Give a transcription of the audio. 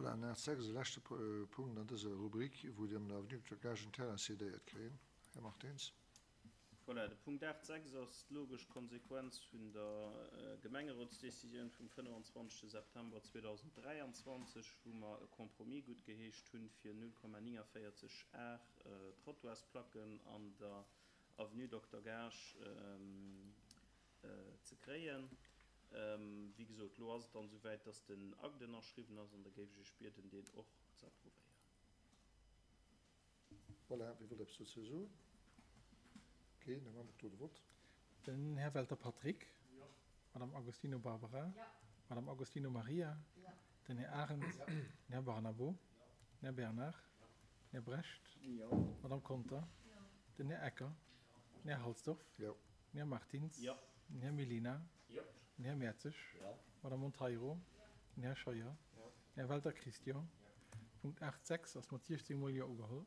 Voilà, an 8,6 ass de leschte Punkt an dëser Rubrik, wou Dir an der Avenue Docteur Gaasch en Terrain cédéiert kréien. Här Martins. Voilà, de Punkt 8,6 ass d'logesch Konsequenz vun der Gemengerotsdecisioun vum 25. September 2023, wou mer e Compromis guttgeheescht hunn, fir 0,49 Ar Trottoirsplacken an der Avenue Dokter Gaasch ze kréien. Wéi gesot, elo ass et dann esouwäit, dass den Akt ënnerschriwwen ass, an da géif ech Iech bieden, deen och ze approuvéieren. Voilà, wie wëllt eppes dozou soen? Keen? Da maache mer do de Vott. Den Här Welter Patrick. Jo. Madame Agostino Barbara. Jo. Madame Agostino Maria. Jo. Den Här Arendt. Jo. Den Här Barnabo. Jo. Den Här Bernard. Jo. Den Här Brecht. Jo. Madame Conter. Jo. Den Här Ecker. Jo. Den Här Halsdorf. Jo. Den Här Martins. Jo. Den Här Mellina. Jo. Den Här Mertzig. Jo. Madame Monteiro. Den Här Scheuer. Jo. Den Här Welter Christian. Punkt 8, 6 ass mat 16 mol Jo ugeholl.